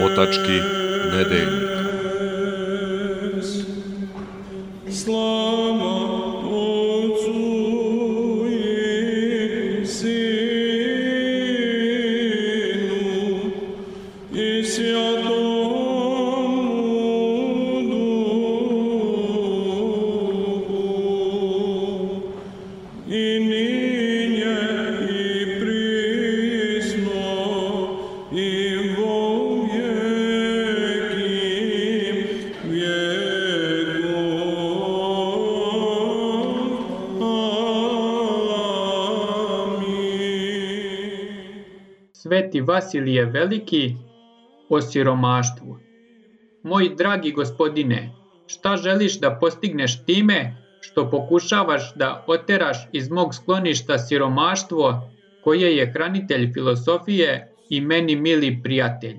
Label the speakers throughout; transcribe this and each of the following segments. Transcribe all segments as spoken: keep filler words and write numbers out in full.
Speaker 1: Otački nedeljnik.
Speaker 2: Slava Otcu i Sinu i Svjatomu Duhu, i ninje i prisno i vo vjeki vjekova.
Speaker 3: Sveti Vasilije Veliki o siromaštvu. Moj dragi gospodine, šta želiš da postigneš time što pokušavaš da oteraš iz mog skloništa siromaštvo koje je hranitelj filosofije i meni mili prijatelj?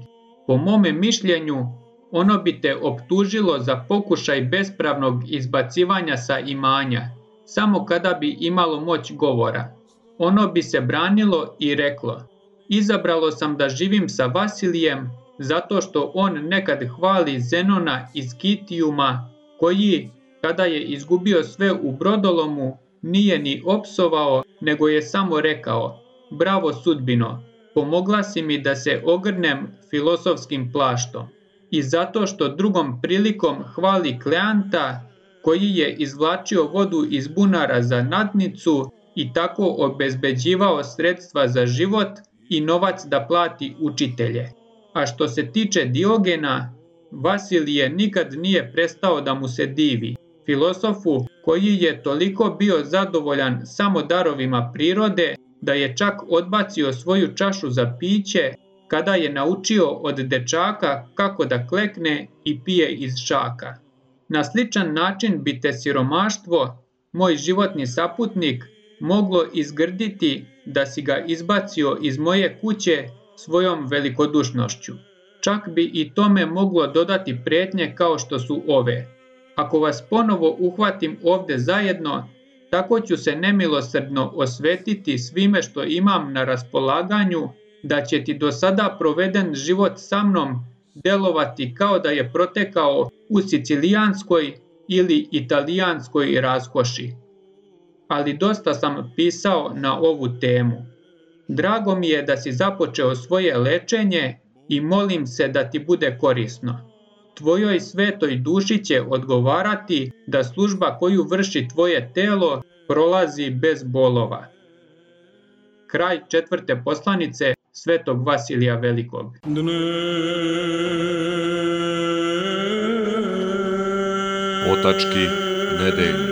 Speaker 3: Po mome mišljenju, ono bi te optužilo za pokušaj bespravnog izbacivanja sa imanja, samo kada bi imalo moć govora. Ono bi se branilo i reklo: izabralo sam da živim sa Vasilijem zato što on nekad hvali Zenona iz Kitijuma, koji, kada je izgubio sve u brodolomu, nije ni opsovao, nego je samo rekao: bravo sudbino, pomogla si mi da se ogrnem filosofskim plaštom. I zato što drugom prilikom hvali Kleanta, koji je izvlačio vodu iz bunara za nadnicu i tako obezbeđivao sredstva za život i novac da plati učitelje. A što se tiče Diogena, Vasilije nikad nije prestao da mu se divi, filosofu koji je toliko bio zadovoljan samo darovima prirode da je čak odbacio svoju čašu za piće kada je naučio od dečaka kako da klekne i pije iz šaka. Na sličan način bi te siromaštvo, moj životni saputnik, moglo izgrditi da si ga izbacio iz moje kuće svojom velikodušnošću. Čak bi i tome moglo dodati prijetnje kao što su ove: ako vas ponovo uhvatim ovde zajedno, tako ću se nemilosrdno osvetiti svime što imam na raspolaganju, da će ti do sada proveden život sa mnom delovati kao da je protekao u sicilijanskoj ili italijanskoj raskoši. Ali dosta sam pisao na ovu temu. Drago mi je da si započeo svoje lečenje i molim se da ti bude korisno. Tvojoj svetoj duši će odgovarati da služba koju vrši tvoje telo prolazi bez bolova. Kraj četvrte poslanice svetog Vasilija Velikog.
Speaker 1: Otački nedeljnik.